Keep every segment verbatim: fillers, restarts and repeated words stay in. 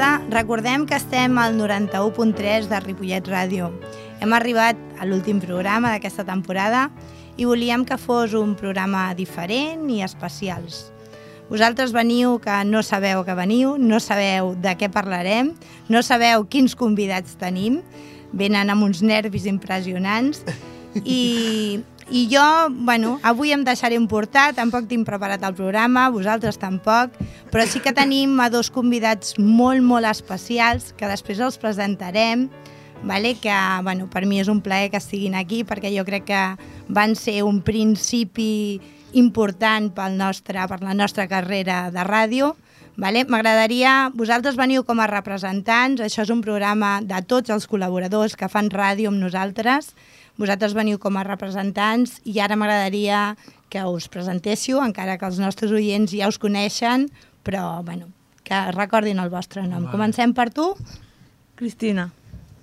tarda. Recordem que estem al noranta-u punt tres de Ripollet Ràdio. Hem arribat a l'últim programa d'aquesta temporada i volíem que fos un programa diferent i especials. Vosaltres veniu que no sabeu que veniu, no sabeu de què parlarem, no sabeu quins convidats tenim, venen amb uns nervis impressionants i... I jo, bueno, avui em deixaré emportar, tampoc tinc preparat el programa, vosaltres tampoc, però sí que tenim a dos convidats molt, molt especials, que després els presentarem, vale? Que bueno, per mi és un plaer que estiguin aquí, perquè jo crec que van ser un principi important pel nostre, per la nostra carrera de ràdio. Vale? M'agradaria, vosaltres veniu com a representants, això és un programa de tots els col·laboradors que fan ràdio amb nosaltres, vosaltres veniu com a representants i ara m'agradaria que us presentéssiu, encara que els nostres oients ja us coneixen, però bueno, que recordin el vostre nom. Vale. Comencem per tu. Cristina.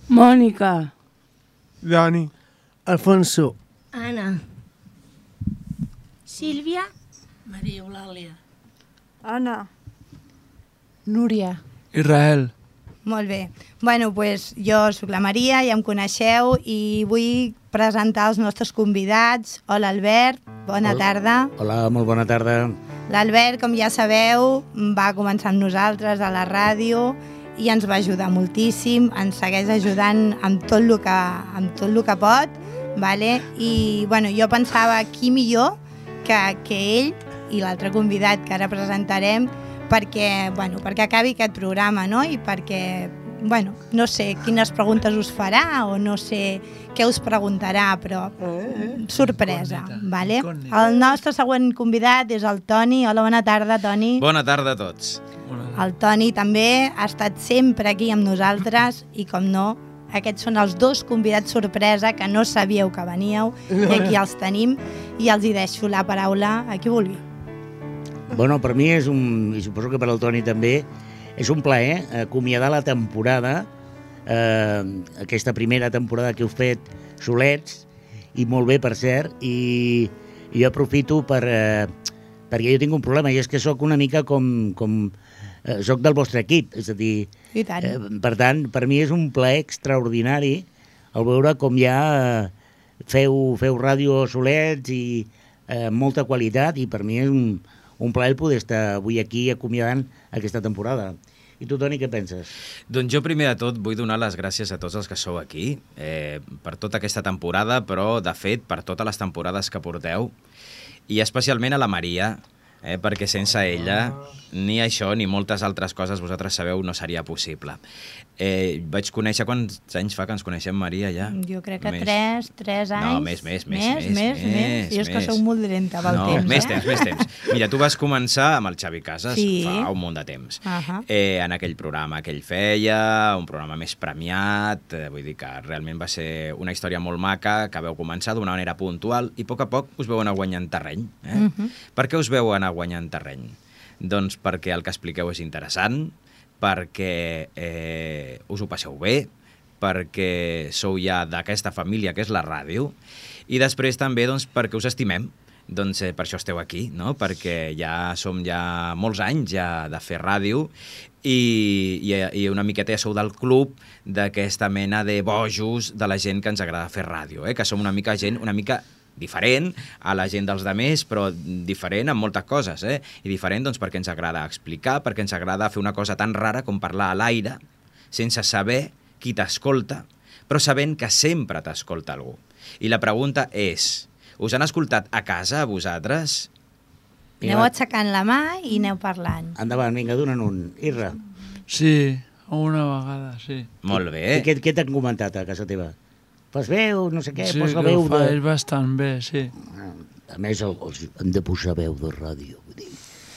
Mònica. Dani. Alfonso. Anna. Sílvia. Maria Eulàlia. Anna. Núria. Israel. Molt bé. Bueno, doncs jo soc la Maria, ja em coneixeu i vull presentar els nostres convidats. Hola, Albert, bona Hola. tarda. Hola, molt bona tarda. L'Albert, com ja sabeu, va començar amb nosaltres a la ràdio i ens va ajudar moltíssim, ens segueix ajudant amb tot el que, amb tot el que pot, vale? I bueno, jo pensava qui millor que, que ell i l'altre convidat que ara presentarem perquè, bueno, perquè acabi aquest programa, no? I perquè, bueno, no sé quines preguntes us farà o no sé què us preguntarà, però sorpresa, vale? El nostre següent convidat és el Toni. Hola, bona tarda, Toni. Bona tarda a tots. El Toni també ha estat sempre aquí amb nosaltres i, com no, aquests són els dos convidats sorpresa que no sabíeu que veníeu i aquí els tenim i els hi deixo la paraula a qui vulgui. Bueno, per mi és un, i suposo que per al Toni també, és un plaer acomiadar la temporada, eh, aquesta primera temporada que heu fet solets, i molt bé, per cert, i, i jo aprofito per, eh, perquè jo tinc un problema, i és que sóc una mica com, com eh, sóc del vostre equip, és a dir, I tant. Eh, per tant, per mi és un plaer extraordinari el veure com ja eh, feu, feu ràdio solets i eh, molta qualitat, i per mi és un un plaer poder estar avui aquí acomiadant aquesta temporada. I tu, Toni, què penses? Doncs jo primer de tot vull donar les gràcies a tots els que sou aquí eh, per tota aquesta temporada, però de fet per totes les temporades que porteu, i especialment a la Maria, eh, perquè sense ella ni això ni moltes altres coses, vosaltres sabeu, no seria possible. Eh, vaig conèixer, quants anys fa que ens coneixem, Maria, ja? Jo crec que Més. tres, tres anys. No, més, més, més, més, més, més, més. Jo és que més. sóc molt dolenta pel no, temps, més eh? temps, més temps. Mira, tu vas començar amb el Xavi Casas Sí. fa un munt de temps. Uh-huh. Eh, en aquell programa que ell feia, un programa més premiat, eh, vull dir que realment va ser una història molt maca, que veu començar d'una manera puntual i a poc a poc us veu anar guanyant terreny. Eh? Uh-huh. Per què us veu anar guanyant terreny? Doncs perquè el que expliqueu és interessant, perquè eh, us ho passeu bé, perquè sou ja d'aquesta família que és la ràdio, i després també doncs, perquè us estimem. Doncs eh, per això esteu aquí, no? Perquè ja som ja molts anys ja de fer ràdio i, i, i una miqueta ja sou del club d'aquesta mena de bojos de la gent que ens agrada fer ràdio, eh? Que som una mica gent una mica diferent a la gent dels demés, però diferent en moltes coses, eh? I diferent doncs, perquè ens agrada explicar, perquè ens agrada fer una cosa tan rara com parlar a l'aire, sense saber qui t'escolta, però sabent que sempre t'escolta algú. I la pregunta és, us han escoltat a casa, a vosaltres? Aneu aixecant la mà i aneu parlant. Endavant, vinga, dona'n un. Irra. Sí, una vegada, sí. Molt bé. I què, què t'han comentat a casa teva? Fas veu, no sé què, sí, posa que veu ho de... faig bastant bé, sí. A més, el, els hem de posar veu de ràdio. Vull dir.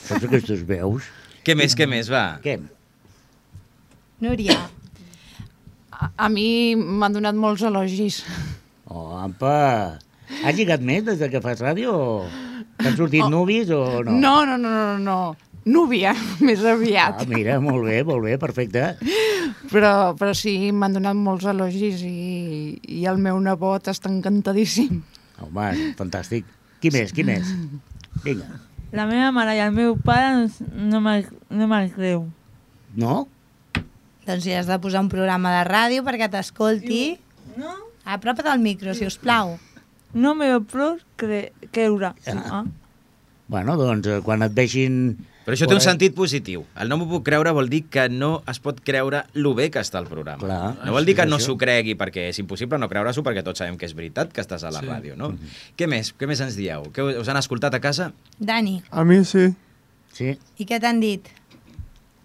Saps aquestes veus? Què més, què més, va? Què? Núria. A, a mi m'han donat molts elogis. Oh, ampa! Has lligat més des que fas ràdio? T'han sortit oh. núvies o no? No, no, no, no, no. Núvia, més aviat. Ah, mira, molt bé, molt bé, perfecte. Però, però sí, m'han donat molts elogis i, i el meu nebot està encantadíssim. Home, fantàstic. Qui més, qui més? Vinga. La meva mare i el meu pare no me'l no me creu. No? Doncs si has de posar un programa de ràdio perquè t'escolti... No, Apropa't al micro, si us plau. no me ho puc cre creure. Ah. Bueno, doncs, eh, quan et vegin... Però això té un sentit positiu. El no m'ho puc creure vol dir que no es pot creure lo bé que està el programa. Clar, no vol dir que és no això. s'ho cregui, perquè és impossible no creure-s'ho, perquè tots sabem que és veritat que estàs a la Sí. ràdio, no? Què més? Què més ens dieu? Què us han escoltat a casa? Dani, A mí sí, Sí? i què t'han dit?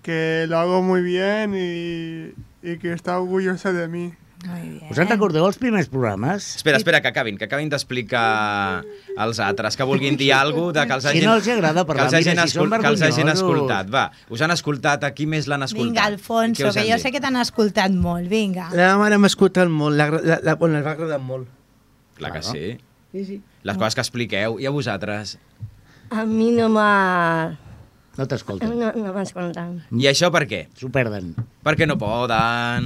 que lo hago muy bien y, y que está orgullosa de mí. Muy bien. Us en recordeu els primers programes? Espera, espera, que acabin, que acabin d'explicar als altres, que vulguin dir alguna cosa de que els Si hagin... no els agrada parlar, que els hagin, mira, si són escol- que els hagin vergonyosos. escoltat. Va, us han escoltat, a qui més l'han escoltat? Vinga, Alfonso, Què us que han jo dit? sé que t'han escoltat molt, vinga. La meva mare m'ha escoltat molt, la, la, la, bueno, els va agradar molt. Clar que Claro. sí. Sí, sí. Les coses que expliqueu. I a vosaltres? A mi no m'ha... No t'escolten, No, no m'ha escoltat. I això per què? s'ho perden. Perquè no poden...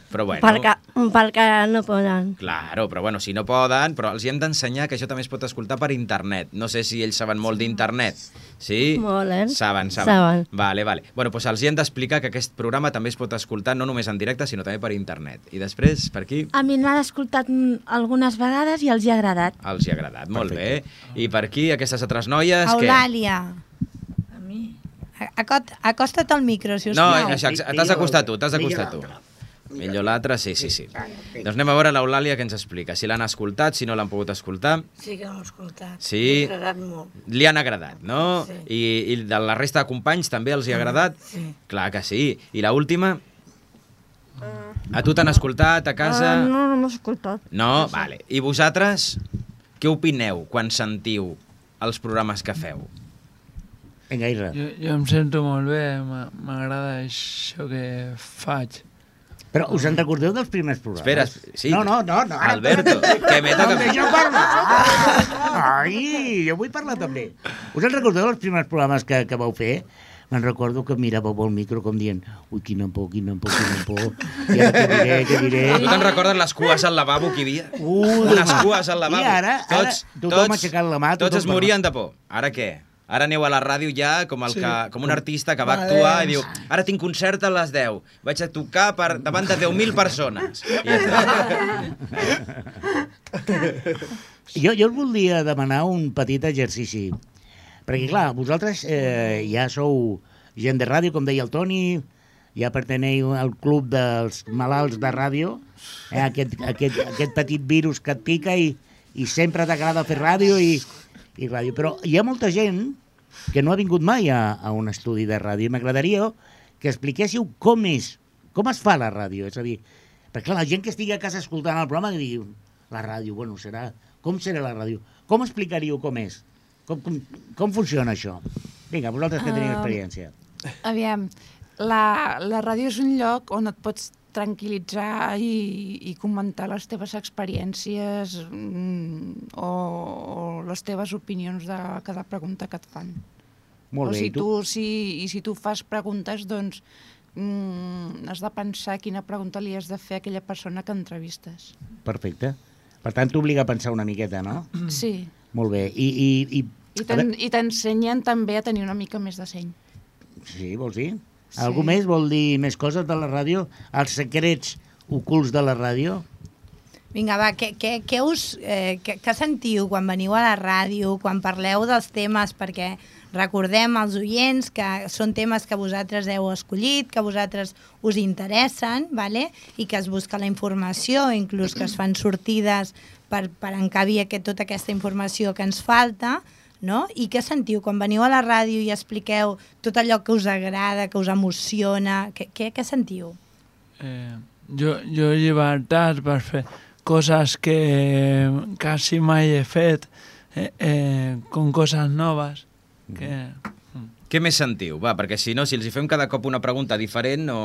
Però bueno... Perquè, perquè no poden. Claro, però bueno, si no poden, però els hi hem d'ensenyar que això també es pot escoltar per internet. No sé si ells saben molt d'internet. Sí? Molt, eh? Saben, saben. Saben. Vale, vale. Bueno, doncs els hi hem d'explicar que aquest programa també es pot escoltar no només en directe, sinó també per internet. I després, per aquí, A mi l'han escoltat mm, algunes vegades i els hi ha agradat. els hi ha agradat. Molt bé. I per aquí, aquestes altres noies, què? Eulàlia, A mi. acot- acosta't al micro, si us No, plau. això, t'has d'acostar tu, t'has d'acostar tu. Millor l'altre, sí, sí, sí. Doncs anem a veure l'Eulàlia que ens explica. Si l'han escoltat, si no l'han pogut escoltar. Sí que l'he escoltat. Sí. M'ha agradat molt. Li han agradat, no? Sí. I, I de la resta de companys també els hi ha agradat? Sí. Clar que sí. I la última? A tu t'han escoltat a casa? Uh, no, no m'ha escoltat. No? Vale. I vosaltres, què opineu quan sentiu els programes que feu? Vinga, Isra. Jo, jo em sento molt bé, m'a- m'agrada això que faig. Però us en recordeu dels primers programes? Espera, sí. No, no, no. no ara- Alberto, que me No toca... em deixeu parlar! Ai, jo vull parlar també. Us en recordeu dels primers programes que, que vau fer? Me'n recordo que miràveu al micro com dient ui, quina por, quina por, quina por. I ara què diré, què diré? Tu te'n recordes les cues al lavabo que hi havia? Ui, Unes cues al lavabo. I ara, ara tots, tothom tots, aixecant la mà. tots tothom es morien de por. Ara què? Ara aneu a la ràdio ja com, el que, com un artista que va actuar i diu ara tinc concert a les deu, vaig a tocar per, davant de deu mil persones. I Jo, jo us voldria demanar un petit exercici. Perquè, clar, vosaltres eh, ja sou gent de ràdio, com deia el Toni, ja perteneu al club dels malalts de ràdio, eh, aquest, aquest, aquest petit virus que et pica i, i sempre t'agrada fer ràdio i, i ràdio. Però hi ha molta gent que no ha vingut mai a, a un estudi de ràdio. M'agradaria que expliquéssiu com és, com es fa la ràdio. És a dir, perquè clar, la gent que estigui a casa escoltant el programa que digui, la ràdio, bueno, serà... Com serà la ràdio? Com explicaríeu com és? Com, com, com funciona això? Vinga, vosaltres que teniu Ah, experiència. Aviam, la, la ràdio és un lloc on et pots tranquil·litzar i, i comentar les teves experiències mm, o, o les teves opinions de cada pregunta que et fan. Molt o bé, si i tu? tu, si, I si tu fas preguntes, doncs mm, has de pensar quina pregunta li has de fer a aquella persona que entrevistes. Perfecte. Per tant, t'obliga a pensar una miqueta, no? Sí. Molt bé. I, i, i, I a t'en- veure, i t'ensenyen també a tenir una mica més de seny. sí, vols dir? Sí. Algú més vol dir més coses de la ràdio? Els secrets ocults de la ràdio? Vinga, va, què, què, què us... Eh, què, què sentiu quan veniu a la ràdio, quan parleu dels temes, perquè recordem als oients que són temes que vosaltres heu escollit, que vosaltres us interessen, vale? I que es busca la informació, inclús que es fan sortides per, per encabir aquest, tota aquesta informació que ens falta, no? I què sentiu quan veniu a la ràdio i expliqueu tot allò que us agrada, que us emociona, què, què, què sentiu? Eh, jo, jo llibertat per fer coses que quasi mai he fet, eh, eh, com coses noves. Que... Què més sentiu? Va, perquè si no, si els hi fem cada cop una pregunta diferent, no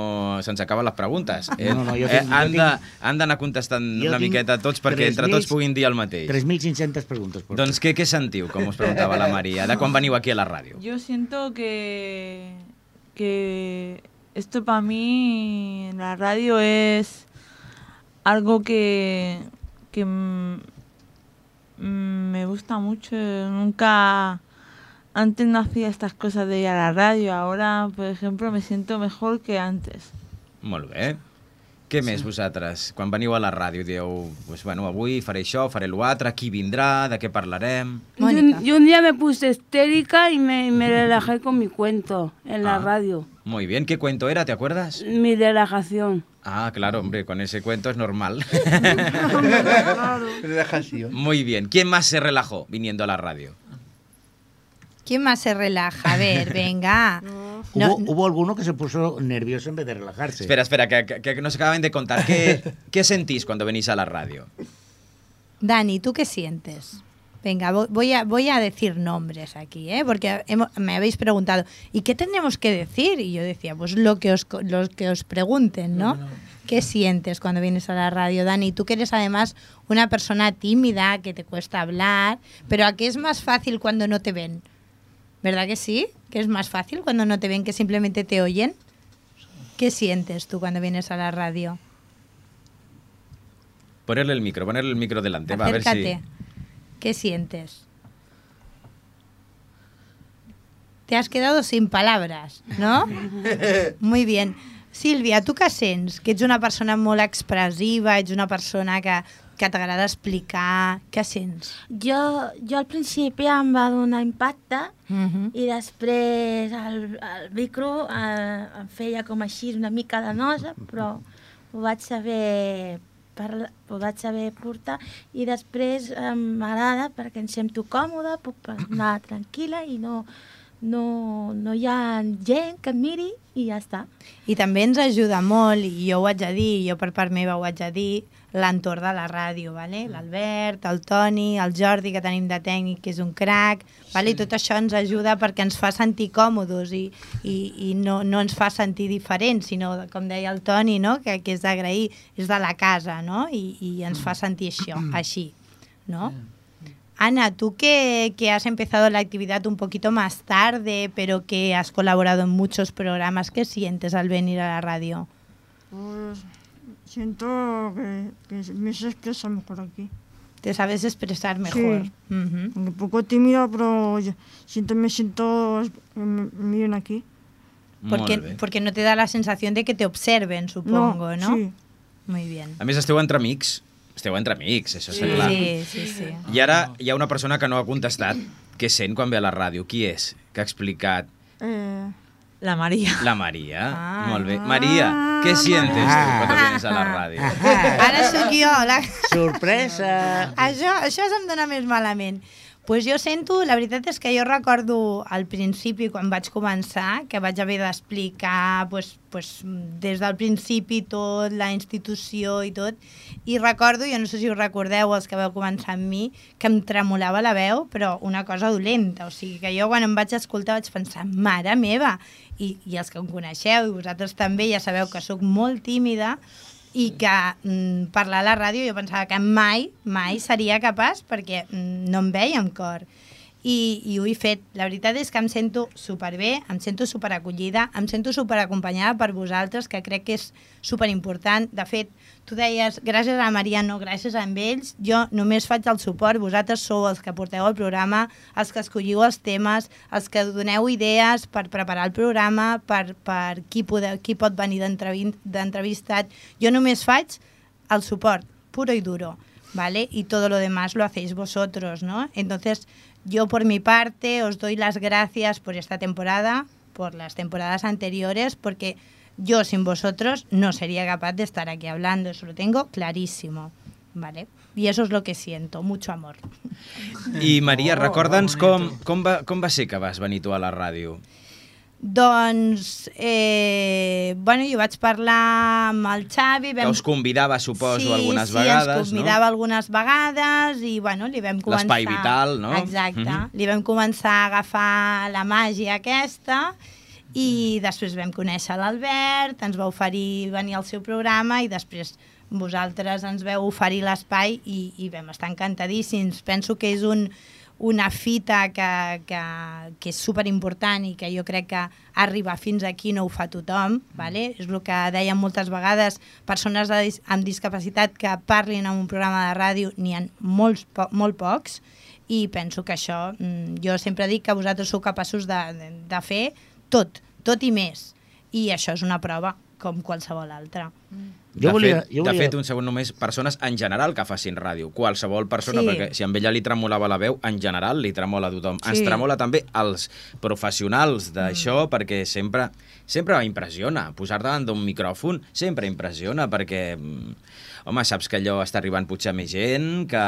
se'ns acaben les preguntes. Eh? No, no, jo eh, tinc- jo han tinc- de- han d'anar contestant jo una tinc miqueta tots perquè tres entre mil- tots puguin dir el mateix. tres mil cinc-centes preguntes. Por Doncs què, què sentiu, com us preguntava la Maria, de quan veniu aquí a la ràdio? Yo siento que, que esto para mí, la radio es algo que, que m- me gusta mucho. Nunca, antes no hacía estas cosas de ir a la radio. Ahora, por ejemplo, me siento mejor que antes. Molt bé. Què més vosaltres? Quan veniu a la ràdio dieu, pues, bueno, avui faré això, faré l'altre, qui vindrà, de què parlarem... Yo, un- yo un día me puse histérica y me, me relajé con mi cuento en la Ah. radio. Muy bien, ¿qué cuento era? ¿Te acuerdas? Mi relajación. Ah, claro, hombre, con ese cuento es normal. Relajación. Muy bien. ¿Quién más se relajó viniendo a la radio? ¿Quién más se relaja? A ver, venga. Hubo, No, hubo alguno que se puso nervioso en vez de relajarse. Espera, espera, que, que- que nos acaban de contar. ¿Qué, ¿Qué sentís cuando venís a la radio? Dani, ¿tú qué sientes? Venga, vo- voy a, voy a decir nombres aquí, ¿eh? Porque hemo- me habéis preguntado, ¿y qué tenemos que decir? Y yo decía, pues lo que os, co- lo que os pregunten, ¿no? ¿Qué sientes cuando vienes a la radio, Dani? Tú que eres además una persona tímida, que te cuesta hablar, pero ¿a qué es más fácil cuando no te ven? ¿Verdad que sí? ¿Que es más fácil cuando no te ven que simplemente te oyen? ¿Qué sientes tú cuando vienes a la radio? Ponerle el micro, ponerle el micro delante. Va, a ver Acércate. si... ¿Qué sientes? Te has quedado sin palabras, ¿no? Muy bien. Sílvia, tu què sents? Que ets una persona molt expressiva, ets una persona que, que t'agrada explicar... Què sents? Jo, jo al principi em va donar impacte Uh -huh. i després el, el micro eh, em feia com així una mica de nosa, però ho vaig saber, parla, ho vaig saber portar i després eh, m'agrada perquè em sento còmoda, puc anar tranquil·la i no, no, no hi ha gent que em miri i ja està. I també ens ajuda molt, i jo ho haig de dir, jo per part meva ho haig de dir, l'entorn de la ràdio, vale? L'Albert, el Toni, el Jordi, que tenim de tècnic, que és un crac, vale? I tot això ens ajuda perquè ens fa sentir còmodes i, i, i no, no ens fa sentir diferents, sinó, com deia el Toni, no? que, que és d'agrair, és de la casa, no? I, i ens fa sentir això, així, no? Ana, tú que, que has empezado la actividad un poquito más tarde, pero que has colaborado en muchos programas, ¿qué sientes al venir a la radio? Pues siento que, que me se expresa mejor aquí. Te sabes expresar mejor. Sí. Ujú. Un poco tímida, pero yo siento, me siento me miren aquí. Porque, Molt bé. porque no te da la sensación de que te observen, supongo, ¿no? Sí. Muy bien. A més, esteu entre amics. Esteu entre amics, això està clar. Sí, sí, sí. I ara hi ha una persona que no ha contestat. Què sent quan ve a la ràdio? Qui és? Que ha explicat? Eh, La María. La Maria. Ah. Molt bé. Maria, què sientes tu quan vienes a la ràdio? Ara sóc jo, la... Sorpresa! Això, això se'm dona més malament. Pues jo sento, la veritat és que jo recordo al principi, quan vaig començar, que vaig haver d'explicar pues, pues, des del principi tot, la institució i tot, i recordo, jo no sé si us recordeu els que vau començar amb mi, que em tremolava la veu, però una cosa dolenta, o sigui que jo quan em vaig escoltar vaig pensar, mare meva, i, i els que em coneixeu, i vosaltres també ja sabeu que sóc molt tímida, i que mm, parlar a la ràdio jo pensava que mai, mai seria capaç perquè mm, no em veia amb cor. I, I ho he fet. La veritat és que em sento superbé, em sento superacollida, em sento superacompanyada per vosaltres, que crec que és superimportant. De fet, tu deies, gràcies a Maria, no gràcies a ells, jo només faig el suport, vosaltres sou els que porteu el programa, els que escolliu els temes, els que doneu idees per preparar el programa, per, per qui, podeu, qui pot venir d'entrevistat. Jo només faig el suport, puro y duro, ¿vale? Y todo lo demás lo hacéis vosotros, ¿no? Entonces, yo por mi parte os doy las gracias por esta temporada, por las temporadas anteriores, porque yo sin vosotros no sería capaz de estar aquí hablando, eso lo tengo clarísimo, ¿vale? Y eso es lo que siento, mucho amor. I Maria, recorda'ns com, com, va, com va ser que vas venir tu a la ràdio? Doncs, eh, bueno, jo vaig parlar amb el Xavi... Que us convidava, suposo, sí, algunes sí, vegades, ens convidava algunes vegades i, bueno, li vam començar... L'espai vital, no? Exacte. Mhm. Li vam començar a agafar la màgia aquesta i després vam conèixer l'Albert, ens va oferir venir al seu programa i després vosaltres ens veu oferir l'espai i, i vam estar encantadíssims. Penso que és un... una fita que, que, que és superimportant i que jo crec que arribar fins aquí no ho fa tothom, vale? És el que dèiem moltes vegades, persones de, amb discapacitat que parlin en un programa de ràdio n'hi ha molts, po molt pocs i penso que això, jo sempre dic que vosaltres sou capaços de, de, de fer tot, tot i més, i això és una prova, com qualsevol altra. De, jo volia, fet, jo volia... de fet, un segon només, persones en general que facin ràdio. Qualsevol persona, sí. perquè si a ella li tremolava la veu, en general li tremola a tothom. Sí. Ens tremola també els professionals d'això, mm. perquè sempre, sempre impressiona. Posar davant d'un micròfon sempre impressiona, perquè... Home, saps que allò està arribant potser a més gent, que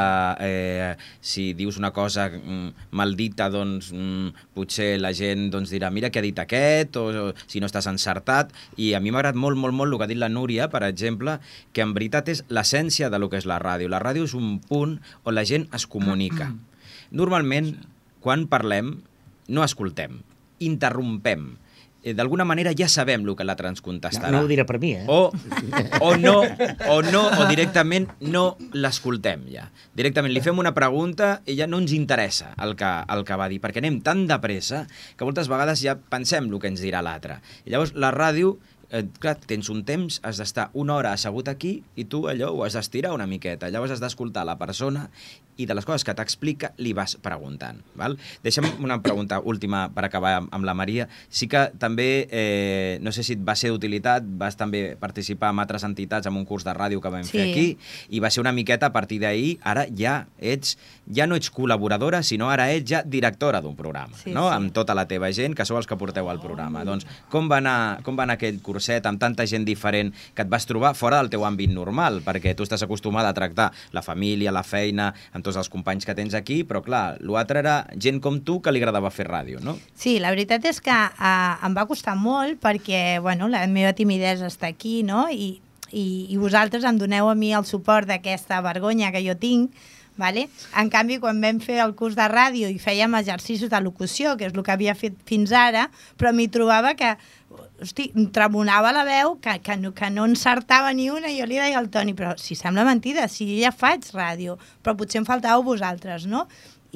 eh, si dius una cosa mm, maldita, doncs mm, potser la gent doncs, dirà mira què ha dit aquest, o, o si no estàs encertat. I a mi m'ha agradat molt, molt, molt el que ha dit la Núria, per exemple, que en veritat és l'essència de lo que és la ràdio. La ràdio és un punt on la gent es comunica. Normalment, quan parlem, no escoltem, interrompem. D'alguna manera ja sabem el que l'altre ens contestarà. No, no ho dirà per mi, eh? O, o no, o no, o directament no l'escoltem ja. Directament li fem una pregunta i ja no ens interessa el que, el que va dir, perquè anem tan de pressa que moltes vegades ja pensem el que ens dirà l'altre. I llavors la ràdio, eh, clar, tens un temps, has d'estar una hora assegut aquí i tu allò ho has d'estirar una miqueta. Llavors has d'escoltar la persona i de les coses que t'explica li vas preguntant. Val? Deixa'm una pregunta última per acabar amb la Maria. Sí que també, eh, no sé si et va ser d'utilitat, vas també participar amb altres entitats en un curs de ràdio que vam sí. fer aquí, i va ser una miqueta a partir d'ahir, ara ja ets, ja no ets col·laboradora, sinó ara ets ja directora d'un programa, sí, no? Sí. Amb tota la teva gent, que sou els que porteu el programa. Oh. Doncs com va anar, com va anar aquell curset amb tanta gent diferent que et vas trobar fora del teu àmbit normal, perquè tu estàs acostumada a tractar la família, la feina, amb tots els companys que tens aquí, però clar, l'altre era gent com tu que li agradava fer ràdio, no? Sí, la veritat és que uh, em va costar molt perquè, bueno, la meva timidesa està aquí, no? I, i, i vosaltres em doneu a mi el suport d'aquesta vergonya que jo tinc, vale? En canvi, quan vam fer el curs de ràdio i fèiem exercicis de locució, que és el que havia fet fins ara, però m'hi trobava que hosti, em tremonava la veu, que, que, no, que no encertava ni una, i jo li deia al Toni, però si sembla mentida, si jo ja faig ràdio, però potser em faltàveu vosaltres, no?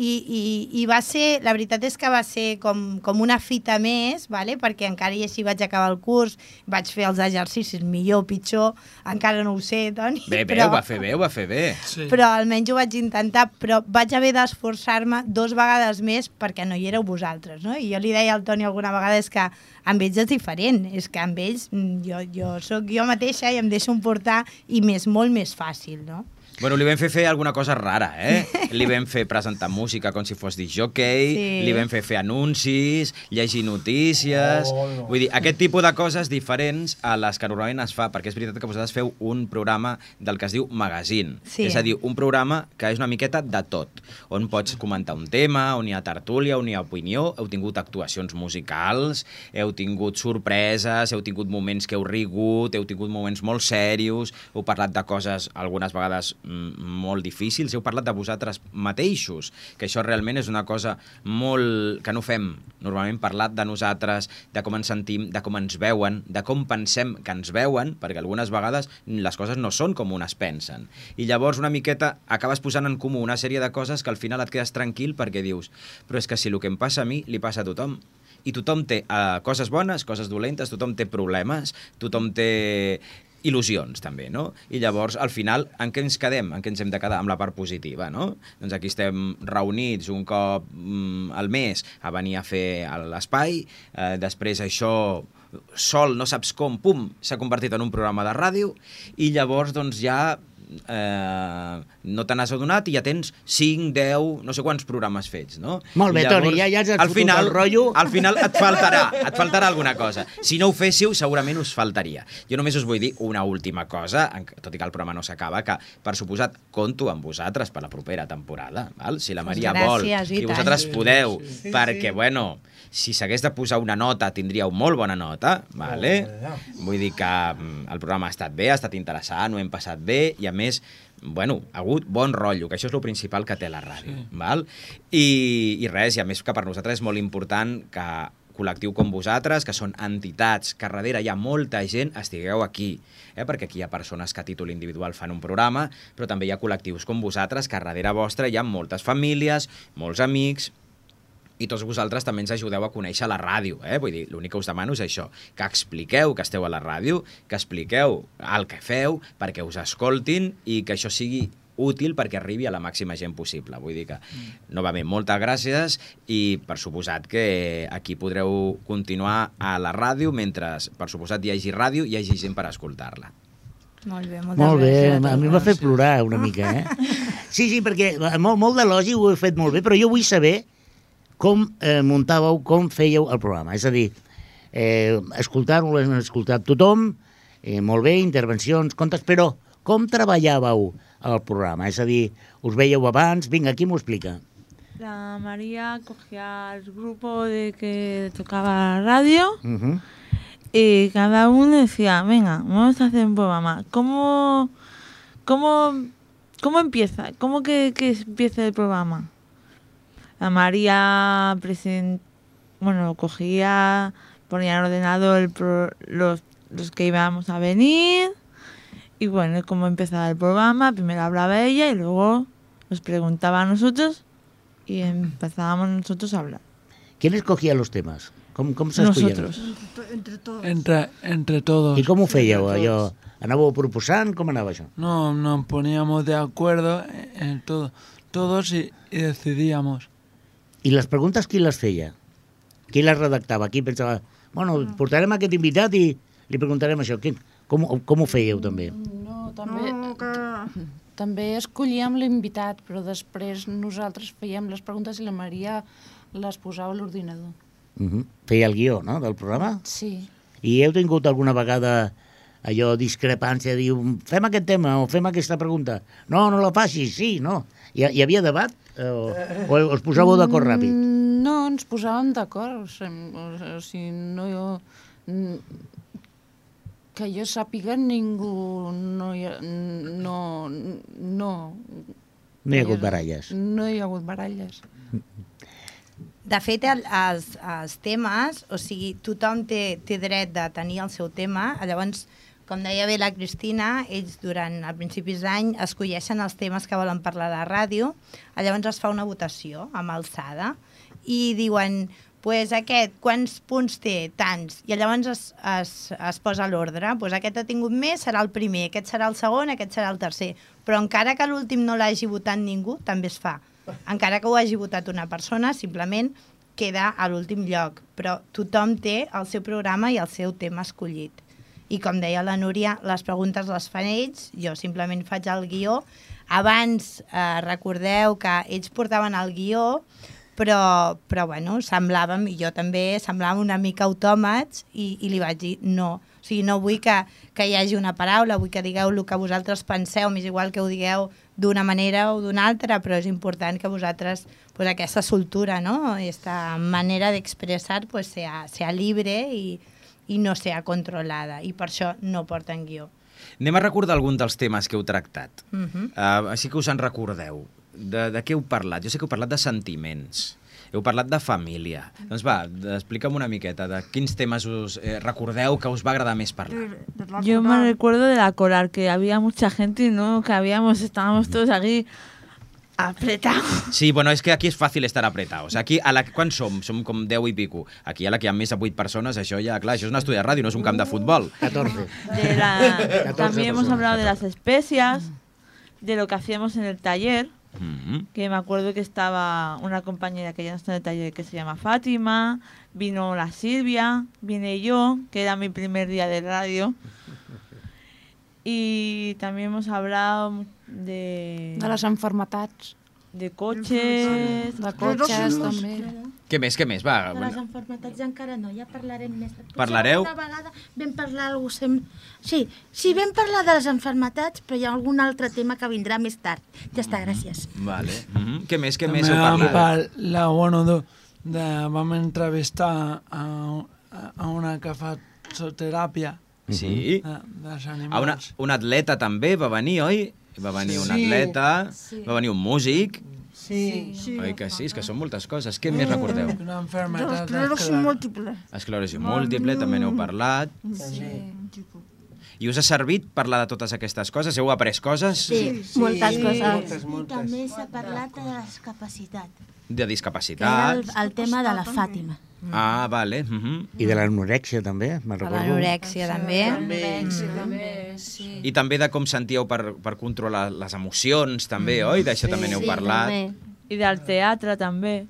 I, i, i va ser, la veritat és que va ser com, com una fita més, vale? Perquè encara i així vaig acabar el curs, vaig fer els exercicis millor o pitjor, encara no ho sé, Toni. Bé, bé, però, ho va fer bé, ho va fer bé. Sí. Però almenys ho vaig intentar, però vaig haver d'esforçar-me dos vegades més perquè no hi éreu vosaltres, no? I jo li deia al Toni alguna vegada és que amb ells és diferent, és que amb ells jo, jo soc jo mateixa i em deixo emportar i m'és molt més fàcil, no? Bueno, li vam fer fer alguna cosa rara, eh? Li vam fer presentar música com si fos discjockey, sí. Li vam fer fer anuncis, llegir notícies... Oh, no. Vull dir, aquest tipus de coses diferents a les que normalment es fa, perquè és veritat que vosaltres feu un programa del que es diu magazine. Sí. És a dir, un programa que és una miqueta de tot, on pots comentar un tema, on hi ha tertúlia, on hi ha opinió, heu tingut actuacions musicals, heu tingut sorpreses, heu tingut moments que heu rigut, heu tingut moments molt serios, heu parlat de coses, algunes vegades molt difícils, heu parlat de vosaltres mateixos, que això realment és una cosa molt... que no fem normalment, parlat de nosaltres, de com ens sentim, de com ens veuen, de com pensem que ens veuen, perquè algunes vegades les coses no són com unes pensen. I llavors una miqueta acabes posant en comú una sèrie de coses que al final et quedes tranquil perquè dius, però és que si el que em passa a mi li passa a tothom. I tothom té uh, coses bones, coses dolentes, tothom té problemes, tothom té il·lusions, també, no? I llavors, al final, en què ens quedem? En què ens hem de quedar? Amb la part positiva, no? Doncs aquí estem reunits un cop mm, al mes a venir a fer l'espai, eh, després això sol, no saps com, pum, s'ha convertit en un programa de ràdio, i llavors, doncs, ja eh, no te n'has adonat i ja tens cinc, deu, no sé quants programes fets, no? Molt bé, llavors, Toni, ja, ja has fotut final, el rotllo. Al final et faltarà, et faltarà alguna cosa. Si no ho féssiu, segurament us faltaria. Jo només us vull dir una última cosa, tot i que el programa no s'acaba, que, per suposat, compto amb vosaltres per la propera temporada, val? Si la Maria Gràcies, vol, i, i vosaltres sí, podeu, sí, sí, perquè, sí. bueno, si s'hagués de posar una nota, tindríeu molt bona nota, vale? Oh, vull dir que el programa ha estat bé, ha estat interessant, ho hem passat bé, i a més, bueno, ha hagut bon rotllo, que això és el principal que té la ràdio, sí. val? I, i res, i a més que per nosaltres és molt important que col·lectiu com vosaltres, que són entitats, que darrere hi ha molta gent, estigueu aquí, eh? Perquè aquí hi ha persones que a títol individual fan un programa, però també hi ha col·lectius com vosaltres, que darrere vostre hi ha moltes famílies, molts amics, i tots vosaltres també ens ajudeu a conèixer la ràdio, eh? Vull dir, l'únic que us demano és això, que expliqueu que esteu a la ràdio, que expliqueu el que feu, perquè us escoltin i que això sigui útil perquè arribi a la màxima gent possible. Vull dir que, novament, moltes gràcies i per suposat que aquí podreu continuar a la ràdio mentre, per suposat, hi hagi ràdio i hi hagi gent per escoltar-la. Molt bé, moltes Molt bé, gràcies. a mi m'ha fet plorar una mica, eh? Sí, sí, perquè molt, molt d'elogi ho heu fet molt bé, però jo vull saber com eh, muntàveu, com fèieu el programa. És a dir, eh, escoltar-ho l'hem escoltat tothom, eh, molt bé, intervencions, contes, però com treballàveu el programa? És a dir, us veieu abans? Vinga, qui m'ho explica? La María cogía el grupo de que tocaba la radio Uh -huh. y cada uno decía, venga, vamos a hacer un programa. ¿Cómo, cómo, cómo empieza? ¿Cómo que, que empieza el programa? La María present, bueno, cogía, ponía en el ordenador el pro, los, los que íbamos a venir y bueno, cómo empezaba el programa. Primero hablaba ella y luego nos preguntaba a nosotros y empezábamos nosotros a hablar. ¿Quién escogía los temas? Com, com s'escollien? Nosotros. Entre todos. Entre, entre todos. I com ho fèieu, allò? Anàveu proposant? Com anava això? No, nos poníamos de acuerdo en todo, todos y, y decidíamos. I les preguntes qui les feia? Qui les redactava? Qui pensava, bueno, portarem aquest invitat i li preguntarem això. Qui, com, com ho fèieu, també? No, també, No, que... també escollíem l'invitat, però després nosaltres fèiem les preguntes i la Maria les posava a l'ordinador. Uh -huh. Feia el guió, no?, del programa? Sí. I heu tingut alguna vegada allò, discrepància, diu, fem aquest tema o fem aquesta pregunta? No, no la facis, sí, no. Hi, hi havia debat? O, o us posàveu d'acord ràpid? No, ens posàvem d'acord. O sigui, o sigui, no... Jo, que jo sàpiga, ningú no hi ha... No, no, No hi ha hagut baralles. no hi ha hagut baralles. De fet, el, els, els temes, o sigui, tothom té, té dret de tenir el seu tema, llavors, com deia bé la Cristina, ells durant a principis d'any escolleixen els temes que volen parlar a la ràdio, llavors es fa una votació amb alçada i diuen, pues aquest, quants punts té? Tants. I llavors es, es, es posa l'ordre. Pues aquest ha tingut més, serà el primer, aquest serà el segon, aquest serà el tercer. Però encara que l'últim no l'hagi votat ningú, també es fa. Encara que ho hagi votat una persona, simplement queda a l'últim lloc. Però tothom té el seu programa i el seu tema escollit. I com deia la Núria, les preguntes les fan ells, jo simplement faig el guió. Abans, eh, recordeu que ells portaven el guió, però, però bueno, semblàvem, i jo també, semblàvem una mica autòmats i, i li vaig dir no. O sigui, no vull que, que hi hagi una paraula, vull que digueu el que vosaltres penseu, m'és igual que ho digueu d'una manera o d'una altra, però és important que vosaltres, pues, aquesta soltura, no? Aquesta manera d'expressar pues, sea, sea libre i, i no sea controlada, i per això no porten guió. Anem a recordar algun dels temes que heu tractat. Uh -huh. uh, així que us en recordeu. De, de què heu parlat? Jo sé que heu parlat de sentiments, heu parlat de família. Doncs va, explica'm una miqueta de quins temes us eh, recordeu que us va agradar més parlar. Yo me recuerdo de la coral, que había mucha gente y no, que habíamos, estábamos todos aquí apretados. Sí, bueno, és que aquí és fàcil estar apretados. Aquí, a la, quan som? Som com deu i pico. Aquí a la que hi ha més de vuit persones, això ja, clar, això és un estudi de ràdio, no és un camp de futbol. catorze. De la, también hemos hablado de las especias, de lo que hacíamos en el taller. Mm-hmm. Que me acuerdo que estaba una compañera que ya no está en el taller, que se llama Fátima, vino la Silvia, vine yo, que era mi primer día de radio, y también hemos hablado de... De les enfermetats. De cotxes... De cotxes, també. Què més, què més? Va, De les enfermetats encara no, ja parlarem més. Parlareu? Una vegada vam parlar algú sem... Sí, sí, vam parlar de les enfermetats, però hi ha algun altre tema que vindrà més tard. Ja està, gràcies. Vale. Mm-hmm. Què més, què També més heu vam parlat? parlar, bueno, de, de, vam entrevistar a, a una que fa zooteràpia Sí. de, dels animals. A una, un atleta també va venir, oi? Va venir un Sí. atleta, Sí. va venir un músic. Sí. Sí. Oi que sí? És que són moltes coses. Què més recordeu? Una enfermedad L'esclerosi múltiple. Esclerosi múltiple, també n'heu parlat. Sí. I us ha servit parlar de totes aquestes coses? Heu après coses? Sí, moltes coses. moltes, I moltes. també s'ha parlat de la discapacitat. de Que era el, discapacitats. el tema de la Fàtima. Ah, vale. Uh -huh. I de l'anorèxia, també, me'n De recordo. l'anorèxia, també. També, també, sí. I també de com sentíeu per, per controlar les emocions, també, oi? D'això també n'heu parlat. I del teatre, també.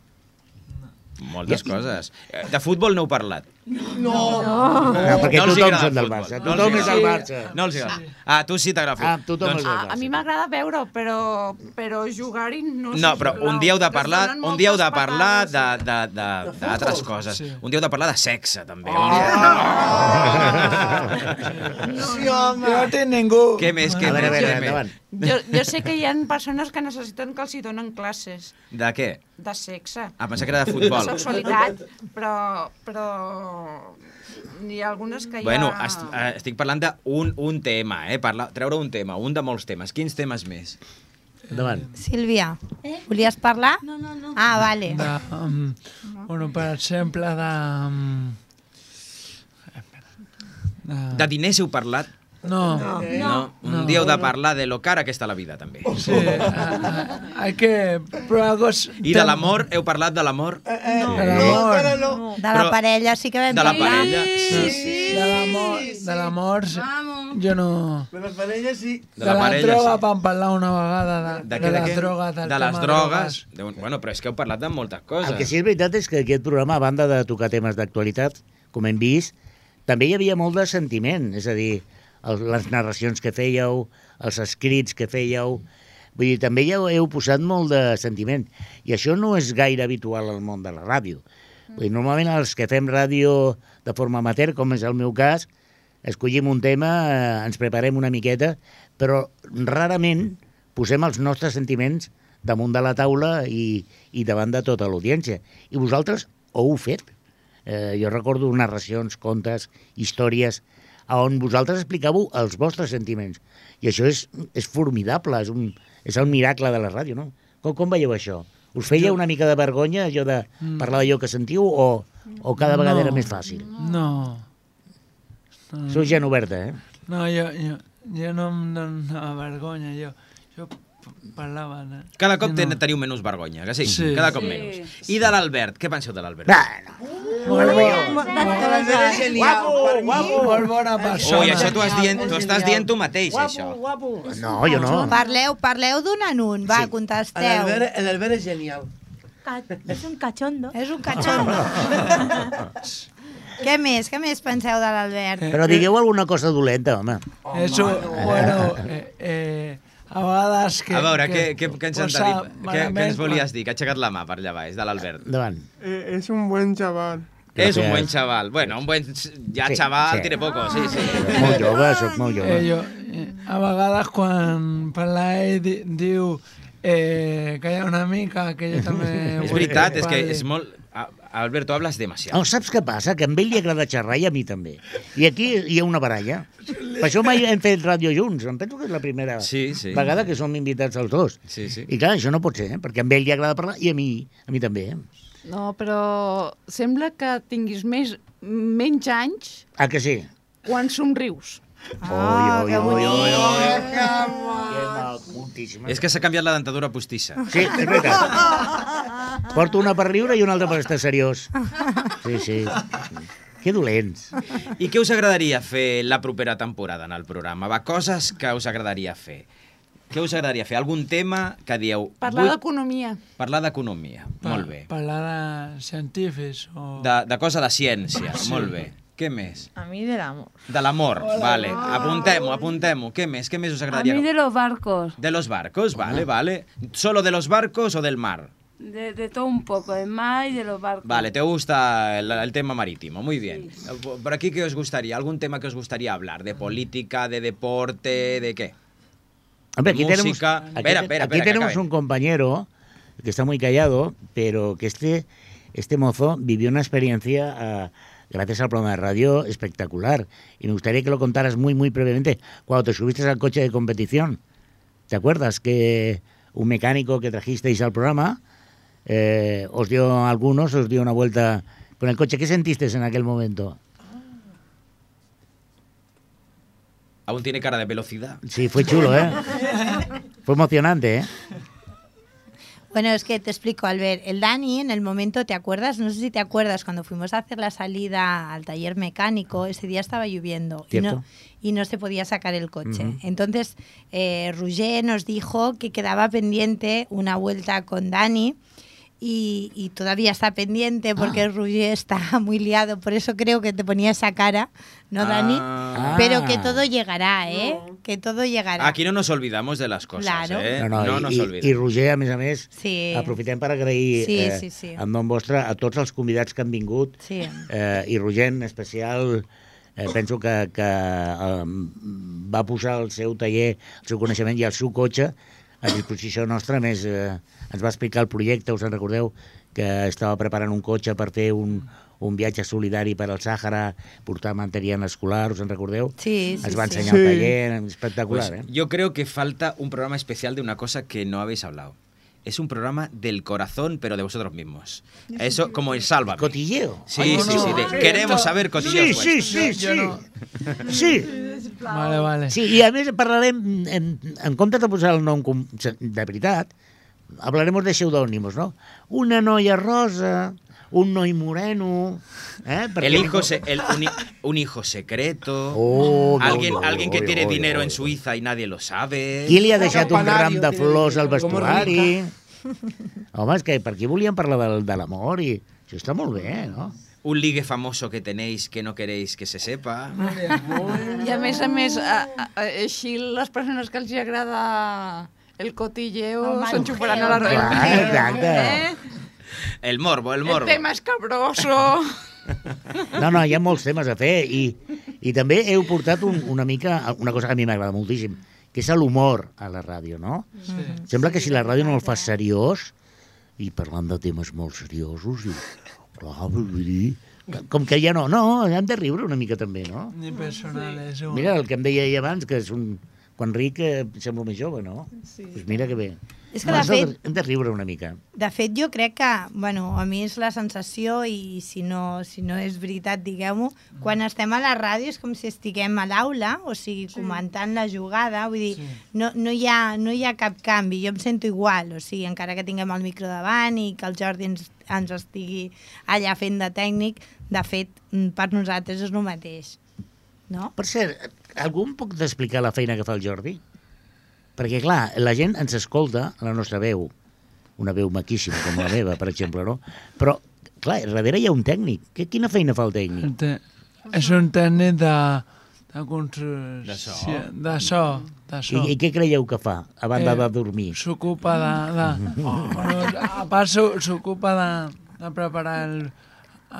Moltes coses. Eh, De futbol no heu parlat. No! No, perquè No els tothom agrada són el del futbol. Barça. No els Tothom és del agrada. Barça. No els agrada. Ah, tu sí t'agrada el Ah, futbol. tothom és del A, a mi m'agrada veure-ho, però, però jugar-hi no sé. No, però sisplau, un dia heu de que es parlar, donen un dia heu de moltes parlar de, patades. de, de, d'altres coses. Sí. Un dia heu de parlar de sexe, també. Sí, home! No té ningú. Què més, què A veure, a més, veure, què més? endavant. Jo, jo sé que hi ha persones que necessiten que els hi donen classes De què? de sexe, Ah, pensava que era de de futbol. sexualitat, però, però hi ha algunes que Bueno, ja... est eh, estic parlant d'un un tema, eh? Parla, treure un tema, un de molts temes. Quins temes més? Endavant. Sílvia, volies parlar? No, no, no. Ah, vale. De, um, bueno, per exemple, de... Um, de, De diners heu parlat? no, No. No. Un No. dia heu de parlar de lo cara que està la vida, també. sí, uh, hay que probar cosas... I de l'amor? Heu parlat de l'amor? Eh, eh, De no, l'amor. encara no. De la Però- parella sí que vam De la parlar. parella? Sí, sí. De l'amor, de l'amor, sí. jo no... De la parella sí. De la parella, droga sí. vam parlar una vegada, de, De, de, què, de, la què? droga, del de tema les drogues. De, bueno, però és que heu parlat de moltes coses. El que sí és veritat és que aquest programa, a banda de tocar temes d'actualitat, com hem vist, també hi havia molt de sentiment, és a dir, el, les narracions que fèieu, els escrits que fèieu, vull dir, també hi heu, heu posat molt de sentiment, i això no és gaire habitual al món de la ràdio. Vull dir, normalment els que fem ràdio de forma amateur, com és el meu cas, escollim un tema, eh, ens preparem una miqueta, però rarament posem els nostres sentiments damunt de la taula i, i davant de tota l'audiència. I vosaltres ho heu fet. Eh, jo recordo narracions, contes, històries, on vosaltres explicàveu els vostres sentiments. I això és, és formidable, és un, és el miracle de la ràdio, no? Com, com veieu això? Us feia una mica de vergonya, allò de parlar d'allò que sentiu, o, o cada vegada No. era més fàcil? No. no. Sou gent oberta, eh? No, jo, jo, jo no em donava vergonya, jo, jo p- parlava... De... Cada cop no. ten, teniu menys vergonya, que sí? Sí. Cada cop Sí. menys. I de l'Albert, què penseu de l'Albert? Bueno, Molt, bo, L'Albert és genial. Per mi, molt bona persona. Ui, això t'ho has dient, t'ho estàs dient tu mateix, això. guapo. no, jo no. Parleu, parleu d'un en un, va, Sí. contesteu. L'Albert l'Albert és genial. Ca- És un cachondo. És un cachondo. Què més? Què més penseu de l'Albert? Però digueu alguna cosa dolenta, home. Eso, bueno, eh, eh, a vegades que... A veure, què, que què, què ens han de posa dir? Què, què malament ens volies dir? Que ha aixecat la mà per allà baix, de l'Albert. Endavant. Eh, es un buen chaval. És un Gràcies. buen chaval. Bueno, un buen... Ja Sí, chaval, sí. tiene poco, sí, sí. Molt jove, sóc molt Eh, jove. jo, eh, a vegades quan parla ell di, diu eh, que hi ha una mica que jo també... És vull veritat, és que parli. és molt... A- Alberto, hablas demasiado. No, saps què passa? Que a ell li agrada xerrar i a mi també. I aquí hi ha una baralla. Per això mai hem fet ràdio junts. Em penso que és la primera Sí, sí. vegada que som invitats els dos. Sí, sí. I clar, això no pot ser, eh? Perquè a ell li agrada parlar i a mi, a mi també. Eh? No, però sembla que tinguis més, menys anys Ah, que sí? quan somrius. Ah, que bonic. Que macutíssima. És que s'ha canviat la dentadura postissa. Sí, és veritat. Porto una per riure i una altra per estar seriós. Sí, sí. Que dolents. I què us agradaria fer la propera temporada en el programa? Va, coses que us agradaria fer. Què us agradaria fer? Algun tema que dieu... Parlar vull d'economia. Parlar d'economia. Pa- Molt bé. Parlar de científics o... De, de cosa de ciència. Molt bé. Què més? A mi de l'amor. De l'amor. Vale. Apuntem-ho, apuntem-ho. Què més? Què més us A agradaria? mí de los barcos, De los barcos, vale, vale. ¿Solo de los barcos o del mar? de, de todo un poco, del mar y de los barcos. Vale, te gusta el, el tema marítimo, muy bien. ¿Por aquí qué os gustaría? ¿Algún tema que os gustaría hablar? ¿De política, de deporte, de qué? Hombre, aquí tenemos, Música. aquí, Espera, espera, aquí espera, que tenemos acabe. un compañero que está muy callado, pero que este, este mozo vivió una experiencia, ah, gracias al programa de radio, espectacular. Y me gustaría que lo contaras muy, muy brevemente. Cuando te subiste al coche de competición, ¿te acuerdas que un mecánico que trajisteis al programa eh, os dio a algunos, os dio una vuelta con el coche? ¿Qué sentiste en aquel momento? Aún tiene cara de velocidad. Sí, fue chulo, ¿eh? Fue emocionante, ¿eh? Bueno, es que te explico, Albert. El Dani, en el momento, ¿te acuerdas? No sé si te acuerdas, cuando fuimos a hacer la salida al taller mecánico, ese día estaba lloviendo y no, y no se podía sacar el coche. Uh-huh. Entonces, eh, Roger nos dijo que quedaba pendiente una vuelta con Dani. Y, y todavía está pendiente porque ah. Roger está muy liado, por eso creo que te ponía esa cara, ¿no, Dani? Ah. Pero que todo llegará, ¿eh? No. Que todo llegarà. Aquí no nos olvidamos de les coses, claro. eh? No, no, no i, nos olvidem. I Roger, a més a més, sí. aprofitem per agrair sí, eh, sí, sí. en nom vostre a tots els convidats que han vingut, sí. eh, i Roger en especial, eh, penso que, que eh, va posar el seu taller, el seu coneixement i el seu cotxe a disposició nostra. A més, eh, ens va explicar el projecte, us en recordeu, que estava preparant un cotxe per fer un, un viatge solidari per al Sàhara, portar material escolar, us en recordeu? Sí, sí, Ens va sí. ensenyar sí. el taller, espectacular, pues, ¿eh? Yo creo que falta un programa especial de una cosa que no habéis hablado. Es un programa del corazón, pero de vosotros mismos. Eso, como el Sálvame. ¿Cotilleo? Sí, Ay, sí, no, sí. no. De, Sí, queremos esto... saber cotilleos Sí, sí, sí, sí. Yo, yo no. Sí. Vale, vale. Sí, i a més parlarem, en, en comptes de posar el nom com, de veritat, hablaremos de pseudónimos, ¿no? Una noia rosa, un noi moreno... ¿eh? El hijo se, el, un, un hijo secreto, oh, alguien, no, no, alguien que no, tiene no, dinero no, en Suïssa i nadie lo sabe. Qui li ha deixat un ram de flors al vestuari? Home, és que per aquí volíem parlar de, de l'amor i això està molt bé, no? Un ligue famoso que tenéis que no queréis que se sepa. I a més a més, a, a, així les persones que els agrada el cotilleo s'enxufaran a la roda. Ah, exacte. Eh? El morbo, el morbo. El tema escabroso. No, no, hi ha molts temes a fer i, i també heu portat un, una mica, una cosa que a mi m'agrada moltíssim, que és l'humor a la ràdio, no? Sí. Sembla que si la ràdio no el fas seriós, i parlant de temes molt seriosos, i, clar, vull dir, com que ja no, no, hem de riure una mica també, no? Ni personales. Mira, el que em deia ahir abans, que és un... Quan ric eh, sembla més jove, no? Sí. Pues mira que bé. És que, de fet, hem de riure una mica. De fet, jo crec que, bueno, a mi és la sensació, i si no, si no és veritat, digueu-m'ho, quan estem a la ràdio és com si estiguem a l'aula, o sigui, sí. comentant la jugada, vull dir, sí. no, no, hi ha, no hi ha cap canvi, jo em sento igual, o sigui, encara que tinguem el micro davant i que el Jordi ens, ens estigui allà fent de tècnic, de fet, per nosaltres és el mateix, no? Per cert, algú em pot explicar la feina que fa el Jordi? Perquè, clar, la gent ens escolta la nostra veu, una veu maquíssima com la meva, per exemple, no? Però, clar, darrere hi ha un tècnic. Que, quina feina fa el tècnic? Te, és un tècnic de, de construcció, de so. De so, de so. I, I què creieu que fa, a banda eh, de dormir? S'ocupa de... de oh, a part, s'ocupa de, de preparar el,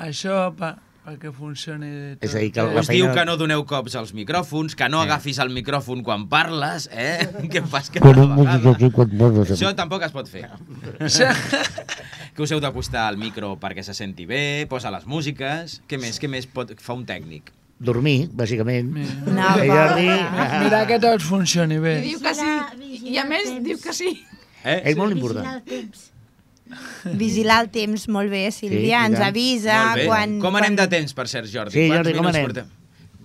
això per, perquè funcioni tot. És a dir, que la Us feina... diu que no doneu cops als micròfons, que no sí. agafis el micròfon quan parles, eh? Què fas que cada vegada? Això tampoc es pot fer. Que us heu d'acostar al micro perquè se senti bé, posa les músiques... Què més, què més pot, fa un tècnic? Dormir, bàsicament. No, eh, Jordi... Mira que tot funcioni bé. I diu que sí. I a més diu que sí. Eh? És molt important. Vigilar el temps, molt bé, Sílvia, sí, ens avisa quan... Com anem de temps, per cert, Jordi? Sí, Quants Jordi, com anem? Portem?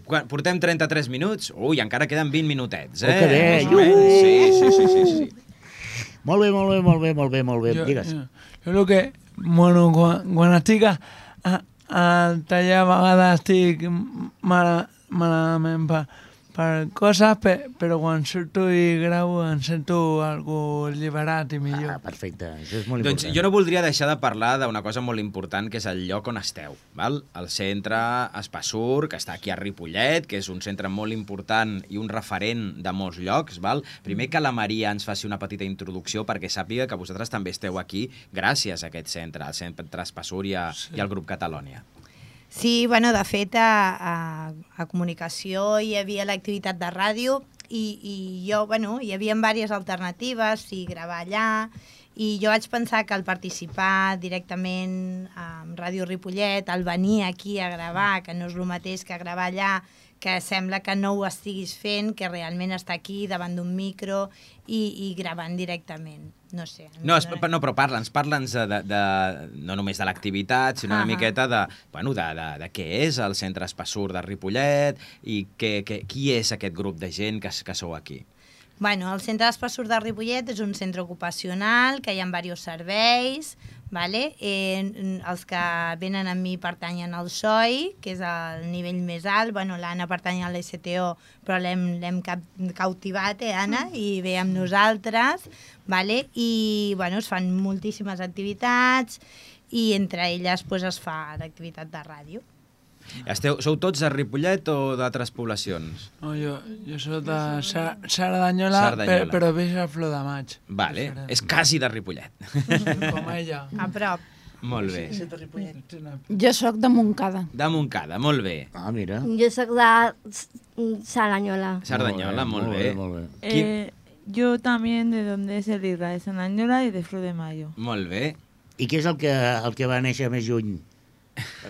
Quan, portem trenta-tres minuts? Ui, encara queden vint minutets, eh? Oh, que bé! Sí, sí, sí, sí, sí. Molt bé, molt bé, molt bé, molt bé, molt bé. Jo, Digues. Jo, jo el que... Bueno, quan, quan estic a, a, al taller a vegades estic mal, malament per, per coses, per, però quan surto i gravo em sento algo alliberat i millor. Ah, perfecte, això és molt doncs important. jo no voldria deixar de parlar d'una cosa molt important, que és el lloc on esteu, val? El centre Espassur, que està aquí a Ripollet, que és un centre molt important i un referent de molts llocs, val? Primer que la Maria ens faci una petita introducció perquè sàpiga que vosaltres també esteu aquí gràcies a aquest centre, al centre Espassur i, a, sí. i al grup Catalònia. Sí, bueno, de fet, a, a, a comunicació hi havia l'activitat de ràdio i, i jo, bueno, hi havia diverses alternatives, si gravar allà, i jo vaig pensar que al participar directament amb Ràdio Ripollet, al venir aquí a gravar, que no és el mateix que gravar allà, que sembla que no ho estiguis fent, que realment està aquí davant d'un micro i, i gravant directament. No sé. No, es, no però parla'ns, parla'ns de, de, de, no només de l'activitat, sinó una uh -huh. miqueta de, bueno, de, de, de què és el Centre Espassur de Ripollet i que, que, qui és aquest grup de gent que, que sou aquí. Bueno, el Centre d'Espessur de Ripollet és un centre ocupacional que hi ha diversos serveis, vale? eh, els que venen amb mi pertanyen al S O I, que és el nivell més alt. Bueno, l'Anna pertany a l'S T O, però l'hem cap cautivat, eh, Anna? I ve amb nosaltres, vale? I bueno, es fan moltíssimes activitats i entre elles pues, es fa l'activitat de ràdio. Esteu, sou tots de Ripollet o d'altres poblacions? No, jo, jo soc de Sa- Sardanyola, Sardanyola. per, però veig a Flor de Maig. Vale, és quasi de Ripollet. Com ella. A prop. Molt bé. Jo sóc de Montcada. De Montcada, molt bé. Ah, mira. Jo sóc de Salanyola. Sardanyola, molt bé. Molt bé. Qui- Eh, yo también de donde es el Irra, de Sardanyola y de Flor de Mayo. Molt bé. I què és el que, el que va néixer més lluny?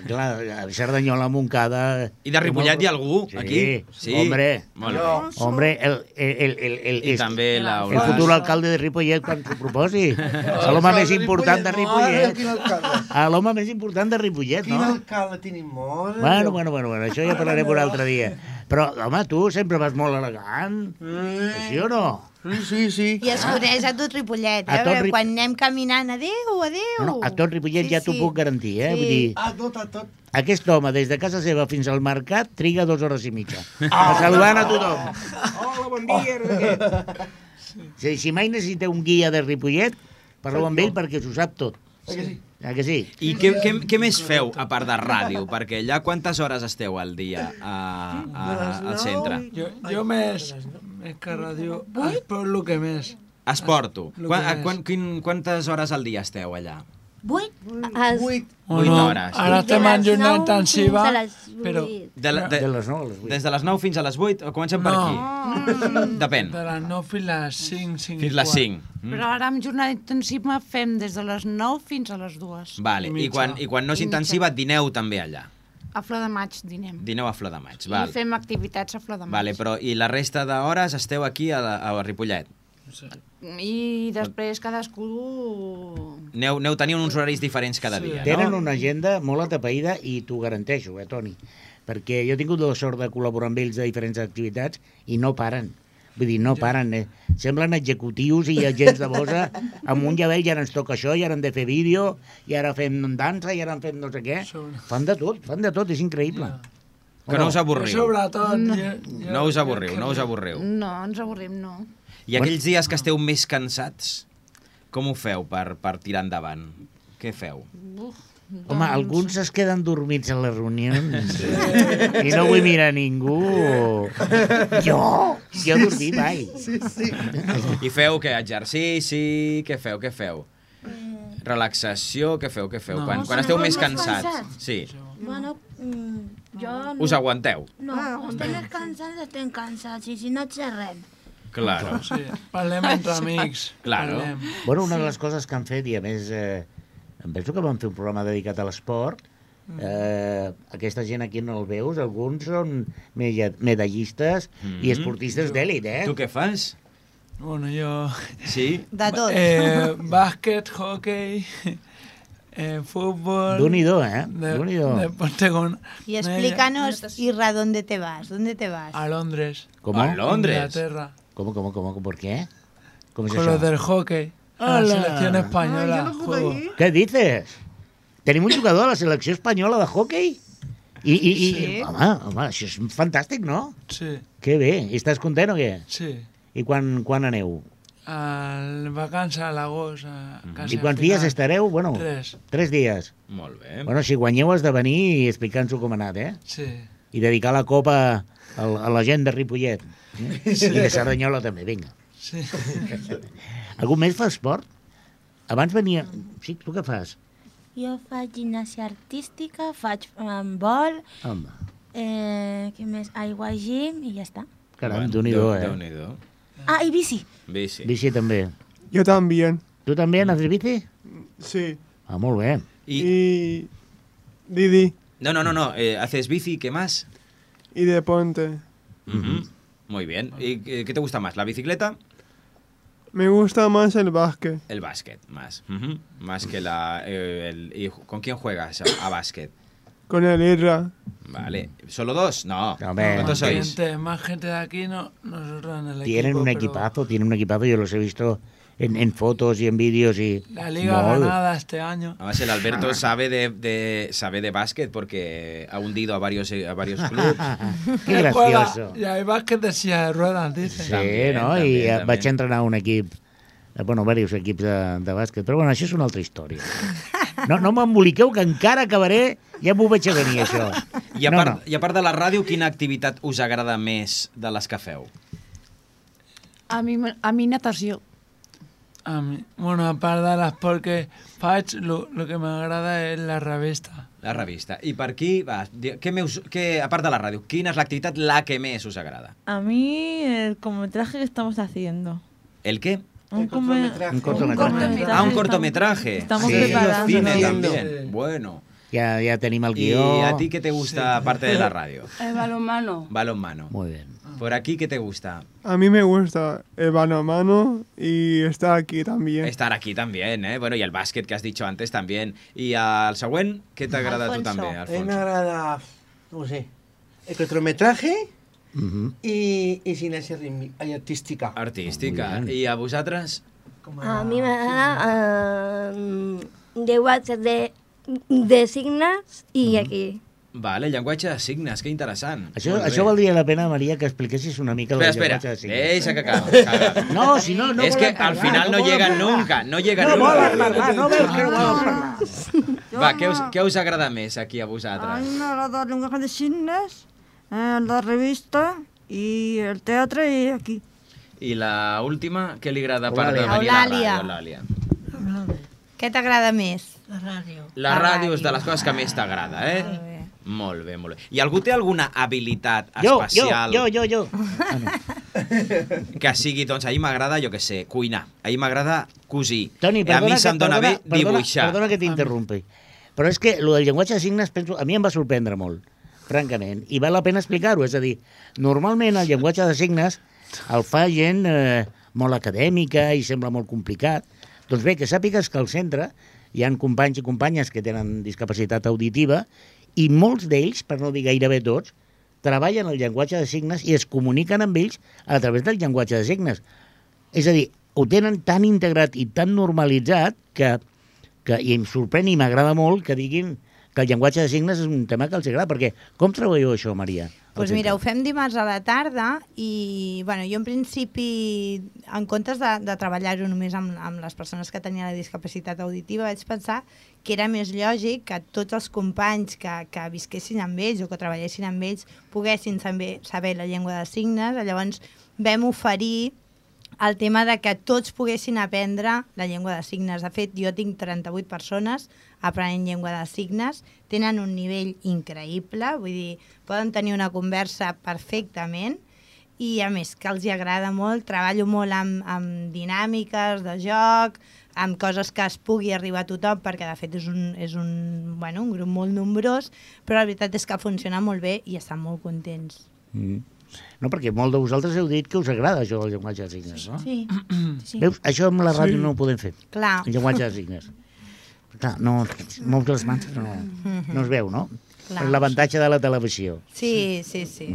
Clar, a Cerdanyola, Montcada... I de Ripollet hi ha algú, sí, aquí? Sí. Hombre, Molt bé. hombre, el, el, el, el, el, I també la el futur alcalde de Ripollet quan s'ho proposi. A l'home més important de Ripollet. A l'home més important de Ripollet, Quin no? alcalde tenim molt. Bueno, bueno, bueno, bueno, això ja parlarem un altre dia. Però, home, tu sempre vas molt elegant. Sí o no? Sí, sí, sí. I es coneix a tot Ripollet, eh? A tot Perquè Ri- quan anem caminant, adéu, adéu. No, no, a tot Ripollet Sí, ja t'ho sí. puc garantir, eh? Sí. Vull dir, A tot, a tot. aquest home, des de casa seva fins al mercat, triga dues hores i mitja. A saludant a tothom. Hola, bon dia. no sé què. Si, si mai necessiteu un guia de Ripollet, parleu amb ell perquè s'ho sap tot. Eh que sí? Ah, que sí? I què, què, què més feu, a part de ràdio? Perquè allà quantes hores esteu al dia a, a, al centre? Jo, jo més, més que ràdio, esport el que més. Esporto. Lo que Quan, és. quan, quin, quantes hores al dia esteu allà? Vuit? Es... Vuit. O Vuit no, hores. ara estem en jornada intensiva, fins a les però vuit. De, la, de, De les nou a les vuit. des de les nou fins a les vuit? O comencem per No. aquí? Depèn. de les nou fins a les cinc, cinc Fins i les quart. cinc. Mm. Però ara amb jornada intensiva fem des de les nou fins a les dues. Vale. I I mitja. quan, I quan no és I mitja. intensiva, dineu també allà. A Flor de Maig dinem. Dineu a Flor de Maig. I Val. fem activitats a Flor de Maig. Vale, però i la resta d'hores esteu aquí a, la, a Ripollet? I després cadascú... Neu, neu teniu uns horaris diferents cada Sí. dia, Tenen no? una agenda molt atapeïda i t'ho garanteixo, eh, Toni? Perquè jo he tingut la sort de col·laborar amb ells de diferents activitats i no paren. Vull dir, no paren. Eh? Semblen executius i agents de bosa. Amunt ja veig, i ara ens toca això, i ara hem de fer vídeo, i ara fem dansa, i ara fem no sé què. Fan de tot, fan de tot, és increïble. Que no us avorriu. Sobretot, No. jo, jo, No us avorriu, no us avorriu. No, ens avorrim, no. I aquells dies que esteu més cansats, com ho feu per, per tirar endavant? Què feu? Uf, Home, alguns es queden dormits a les reunions i no vull mirar ningú. Jo? Jo he dormit mai. Sí, sí. I feu què? Exercici? Què feu? Què feu? Relaxació? Què feu? Què feu? No. Quan, No, quan esteu som més més cansats? cansats. Sí. Bueno, mm, jo... No. Us aguanteu? No, estem més cansats, estem cansats, i si no xerrem. Claro. Sí, parlem entre amics. Claro. Parlem. Bueno, una de les coses que han fet, i a més, eh, em penso que van fer un programa dedicat a l'esport, eh, aquesta gent aquí no el veus, alguns són meda- medallistes Mm. i esportistes d'èlit, eh? Tu què fas? Bueno, jo... Sí? De tot. Eh, bàsquet, hockey, eh, futbol... Déu-n'hi-do, eh? De, Déu-n'hi-do. deporte con... Y explícanos, Irra, ¿dónde te vas? ¿Dónde te vas? A Londres. ¿Cómo? A Londres. Inglaterra. ¿Cómo, cómo, cómo? ¿Por qué? ¿Cómo es Con eso? los del hockey. A la Hola. selección española. Ay, yo no pude juego. ir. Què dices? Tenim un jugador a la selecció espanyola de hockey? I, i, i Sí. home, home, això és fantàstic, no? Sí, Que bé. I estàs content o què? sí. I quan, quan aneu? Al vacances a l'agost. a casa I quants final. dies estareu? Bueno, Tres. tres dies. Molt bé. Bueno, si guanyeu has de venir i explicar-nos-ho com ha anat, eh? Sí. I dedicar la copa a, a la gent de Ripollet. Eh? Sí. I de Cerdanyola també, vinga. Sí. Algú més fa esport? Abans venia... Sí, tu què fas? Jo faig gimnàsia artística, faig um, vol, Home, eh, què més? Aigua, gym i ja està. caram, Bueno, Déu-n'hi-do, Déu- eh? Déu-n'hi-do. Ah, i bici. Bici. Bici també. Yo también. Tu també haces bici? Sí. Ah, molt bé. Y... Y Didi No, no, no, no. Eh, ¿haces bici? ¿Qué más? y deporte. Ujú. Muy bien. ¿Y eh, qué te gusta más? ¿La bicicleta? Me gusta más el básquet. El básquet, más. Ujú. Más que la... eh, el- ¿Y con quién juegas a, a básquet? con el Irra. Vale. ¿Solo dos? No. No, hombre. ¿Cuántos Más sois? gente, más gente de aquí, no, nosotros en el Tienen equipo, un pero equipazo, tienen un equipazo, yo los he visto en, en fotos y en vídeos y... La liga Molt. ganada este año. Además, el Alberto sabe de, de, sabe de básquet porque ha hundido a varios, a varios clubs. Qué gracioso. Y hay básquet de silla de ruedas, dice. Sí, També, no? també, I també. vaig entrenar un equip, eh, bueno, diversos equips de, de bàsquet, però bueno, això és una altra història. No, no m'emboliqueu, que encara acabaré, ja m'ho veig a venir, això. I a, No, part, no. I a part de la ràdio, quina activitat us agrada més de les que feu? A mi, a mi natació. A mí, bueno, a part de l'esport que faig, lo, lo que m'agrada és la revista. La revista. I per aquí, va, di- què meus, què, a part de la ràdio, quina és l'activitat la que més us agrada? A mí el cortometraje que estamos haciendo. ¿El qué? Un, come- Un cortometraje. Ah, un cortometraje. Estamos Sí, preparando. cine Sí. también. Bueno. Ja, ja tenim el ¿Y guió. a ti qué te gusta aparte de la radio? El balonmano. Balonmano. Muy bien. Por aquí, ¿qué te gusta? A mí me gusta el balonmano y estar aquí también. Estar aquí también, ¿eh? Bueno, y el básquet que has dicho antes también. Y al següent, què t'agrada a tu Alfonso. també, A mí Alfonso? me agrada, no sé, el cortometraje Mhm. y, y cinesia rítmica y artística. Artística. I a vosaltres? A mi m'agrada eh, llenguatge de, de signes i aquí. Vale, llenguatge de signes, que interessant. Això, Molt bé. això valdria la pena, Maria, que expliquessis una mica el Espera, llenguatge de espera, signes. deixa que acabi. acabi. No, si no, no Es que volen al parlar, final no volen llegan parlar. nunca, no llegan No nunca. volen parlar, no veus que no volen parlar. Va, què us, què us agrada més aquí a A mí vosaltres? me agrada el lenguaje de signos, eh, la revista y el teatro y aquí. I la última, què li agrada per de Eulàlia. venir a la ràdio, Eulàlia? Què t'agrada més? La ràdio. La ràdio és de les coses que més t'agrada, eh? Molt bé, molt bé. I algú té alguna habilitat Jo, jo, especial jo, jo, jo. que sigui, doncs, a mi m'agrada, jo què sé, cuinar. A mi m'agrada cosir. Toni, I a perdona, mi se'm que, dona perdona, bé dibuixar. Perdona, perdona que t'interrompi. Però és que el del llenguatge de signes, penso, a mi em va sorprendre molt, francament, i val la pena explicar-ho. És a dir, normalment el llenguatge de signes el fa gent eh, molt acadèmica i sembla molt complicat. Doncs bé, que sàpigues que al centre hi han companys i companyes que tenen discapacitat auditiva i molts d'ells, per no dir gairebé tots, treballen el llenguatge de signes i es comuniquen amb ells a través del llenguatge de signes. És a dir, ho tenen tan integrat i tan normalitzat que, que i em sorprèn i m'agrada molt que diguin que el llenguatge de signes és un tema que els agrada, perquè com treballeu això, Maria? Doncs pues mira, ho fem dimarts a la tarda i bueno, jo en principi, en comptes de, de treballar-ho només amb, amb les persones que tenien la discapacitat auditiva, vaig pensar que era més lògic que tots els companys que, que visquessin amb ells o que treballessin amb ells poguessin saber, saber la llengua de signes. Llavors vam oferir el tema de que tots poguessin aprendre la llengua de signes. De fet, jo tinc trenta-vuit persones aprenent llengua de signes, tenen un nivell increïble, vull dir, poden tenir una conversa perfectament i a més que els hi agrada molt, treballo molt amb, amb dinàmiques de joc, amb coses que es pugui arribar a tothom, perquè de fet és un, és un, bueno, un grup molt nombrós, però la veritat és que funciona molt bé i estan molt contents. Mm. No, perquè molt de vosaltres heu dit que us agrada això del llenguatge de signes, no? Sí. sí. Veus? Això amb la ràdio Sí. no ho podem fer. Clar. El llenguatge de signes. Clar, no, mous les mans no, no es veu, no? Clar. L'avantatge de la televisió. Sí, sí, sí.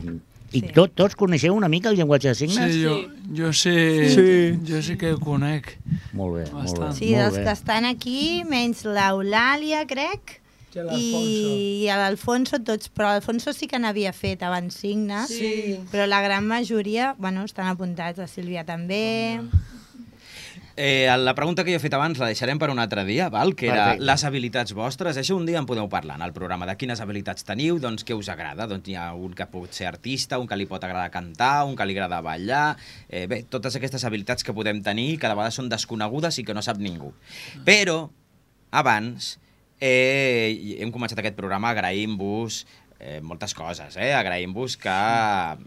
I tot, tots coneixeu una mica el llenguatge de signes? Sí, jo, jo sí, Sí. jo sí que ho conec. Molt bé, molt bé. Sí, molt dels bé. que estan aquí, menys l'Eulàlia, crec, I i, i l'Alfonso, tots, però l'Alfonso sí que n'havia fet abans signes, Sí. però la gran majoria, bueno, estan apuntats, la Sílvia també. Eh, la pregunta que jo he fet abans la deixarem per un altre dia, val? Que era Perfecte. les habilitats vostres. Això un dia en podeu parlar en el programa de quines habilitats teniu, doncs què us agrada. Doncs hi ha un que pot ser artista, un que li pot agradar cantar, un que li agrada ballar... Eh, bé, totes aquestes habilitats que podem tenir que de vegades són desconegudes i que no sap ningú. Però, abans, eh, hem començat aquest programa agraint-vos eh, moltes coses, eh? Agraïm-vos que,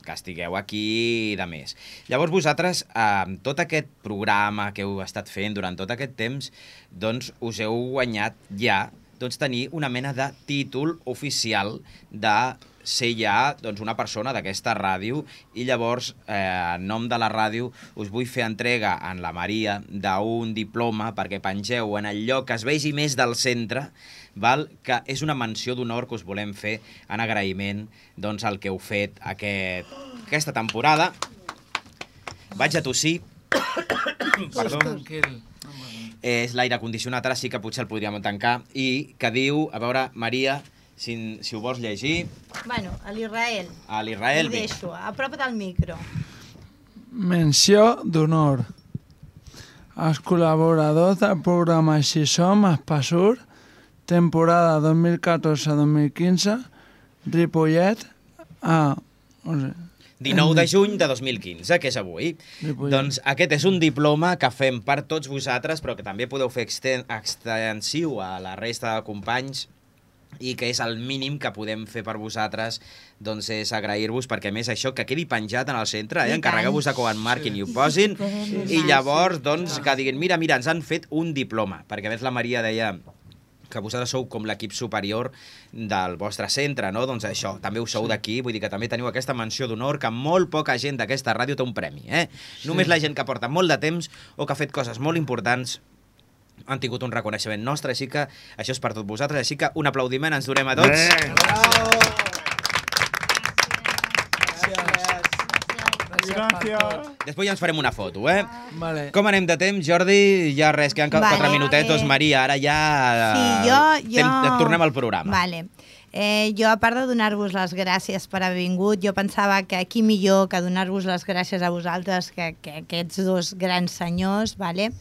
que estigueu aquí i de més. Llavors vosaltres, amb tot aquest programa que heu estat fent durant tot aquest temps, doncs us heu guanyat ja doncs, tenir una mena de títol oficial de ser ja doncs, una persona d'aquesta ràdio i llavors, eh, en nom de la ràdio, us vull fer entrega en la Maria d'un diploma perquè pengeu en el lloc que es vegi més del centre, val? Que és una menció d'honor que us volem fer en agraïment doncs, al que heu fet aquest, aquesta temporada. Vaig a tossir. Perdó. És l'aire condicionat, ara sí que potser el podríem tancar, i que diu, a veure, Maria, si, si ho vols llegir... Bueno, a l'Israel. A l'Israel, Li deixo, a prop del micro. Menció d'honor. Els col·laboradors del programa Així Som, Espassur, temporada dos mil catorze dos mil quinze, Ripollet, a... No sé, dinou de juny de dos mil quinze, que és avui. Ripollet. Doncs aquest és un diploma que fem per tots vosaltres, però que també podeu fer exten extensiu a la resta de companys, i que és el mínim que podem fer per vosaltres, doncs és agrair-vos, perquè a més això que quedi penjat en el centre, eh? Encarregueu-vos de que ho enmarquin i ho posin, i llavors doncs que diguin, mira, mira, ens han fet un diploma, perquè a més la Maria deia que vosaltres sou com l'equip superior del vostre centre, no? Doncs això, també ho sou d'aquí, vull dir que també teniu aquesta menció d'honor, que molt poca gent d'aquesta ràdio té un premi, eh? Només la gent que porta molt de temps o que ha fet coses molt importants han tingut un reconeixement nostre, així que això és per tot vosaltres, així que un aplaudiment ens donem a tots. Gràcies. Després ja ens farem una foto, eh? Vale. Com anem de temps, Jordi? Ja res, queden Vale. quatre minutetos. Eh, Maria, ara ja... Sí, jo... jo... Tem- tornem al programa. Vale. Eh, jo, a part de donar-vos les gràcies per haver vingut, jo pensava que aquí millor que donar-vos les gràcies a vosaltres que, que aquests dos grans senyors, vale?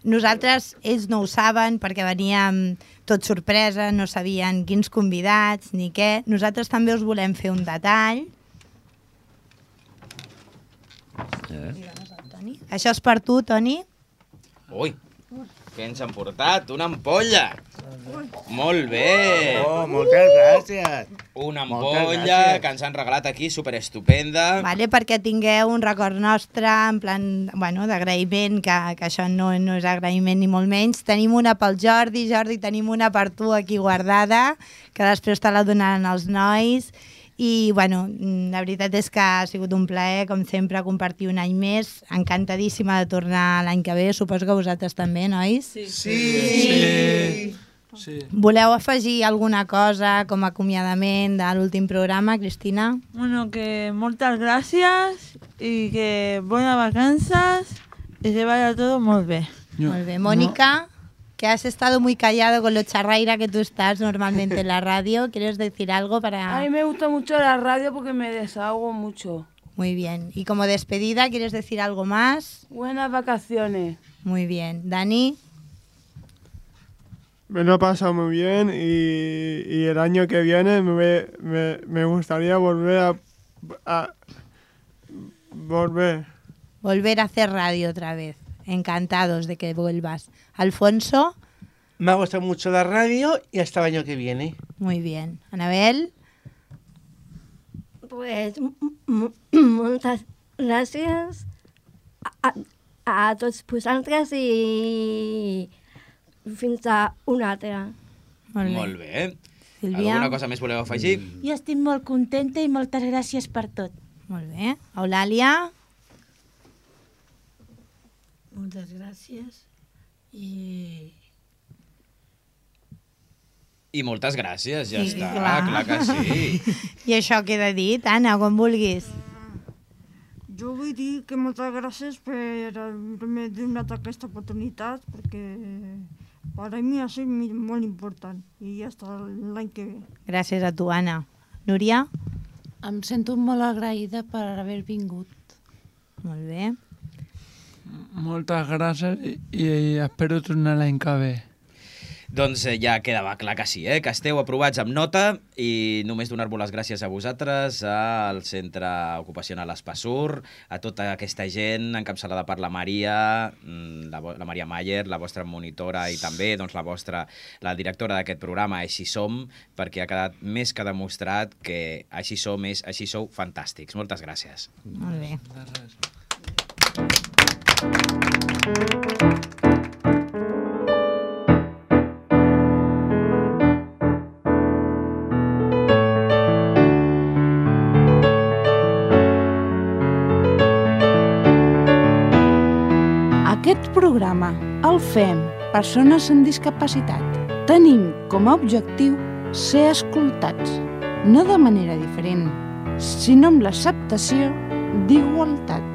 Nosaltres, ells no ho saben perquè veníem tot sorpresa, no sabien quins convidats ni què. Nosaltres també us volem fer un detall. Eh? Toni. Això és per tu, Toni. Ui, què ens han portat? Una ampolla! Molt bé! Oh, moltes gràcies! Una Moltes ampolla gràcies. que ens han regalat aquí, superestupenda. Vale, perquè tingueu un record nostre, en plan, bueno, d'agraïment, que, que això no, no és agraïment ni molt menys. Tenim una pel Jordi, Jordi, tenim una per tu aquí guardada, que després te la donaran els nois. I, bueno, la veritat és que ha sigut un plaer, com sempre, compartir un any més. Encantadíssima de tornar l'any que ve. Suposo que vosaltres també, nois? Sí. Sí. Sí. Voleu afegir alguna cosa com a acomiadament de l'últim programa, Cristina? Bueno, que moltes gràcies i que bones vacances y que vaya todo muy bien. Molt bé. Mónica, que has estado muy callado con lo charraira que tú estás normalmente en la radio. ¿Quieres decir algo para...? A mí me gusta mucho la radio porque me desahogo mucho. Muy bien. Y como despedida, ¿quieres decir algo más? Buenas vacaciones. Muy bien. Dani. Me lo he pasado muy bien y, y el año que viene me, me, me gustaría volver a, a... volver. Volver a hacer radio otra vez. Encantados de que vuelvas. Alfonso. Me ha gustado mucho la radio y hasta el año que viene. Muy bien. Anabel. Pues moltes gràcies a, a, a tots vosaltres i fins a una altra. Molt bé. Molt bé. Sílvia. Alguna cosa més voleu afegir? Jo estic molt contenta i moltes gràcies per tot. Molt bé. Eulàlia. Moltes gràcies i... I moltes gràcies, ja Sí, està, clar. clar que sí. I això queda dit, Anna, quan vulguis. Jo vull dir que moltes gràcies per haver donat aquesta oportunitat, perquè per a mi ha sigut molt important i ja està l'any que ve. Gràcies a tu, Anna. Núria? Em sento molt agraïda per haver vingut. Molt bé. Moltes gràcies i, i espero tornar l'any que ve. Doncs eh, ja quedava clar que sí, eh? Que esteu aprovats amb nota i només donar-vos les gràcies a vosaltres, al Centre Ocupacional Espassur, a tota aquesta gent encapçalada per la Maria, la, la Maria Mayer, la vostra monitora i també doncs, la vostra, la directora d'aquest programa, Així Som, perquè ha quedat més que demostrat que Així Som és Així Sou fantàstics. Moltes gràcies. Molt bé. Gràcies. fem, persones amb discapacitat, tenim com a objectiu ser escoltats, no de manera diferent, sinó amb l'acceptació d'igualtat,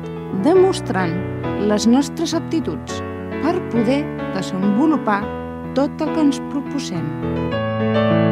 demostrant les nostres aptituds per poder desenvolupar tot el que ens proposem.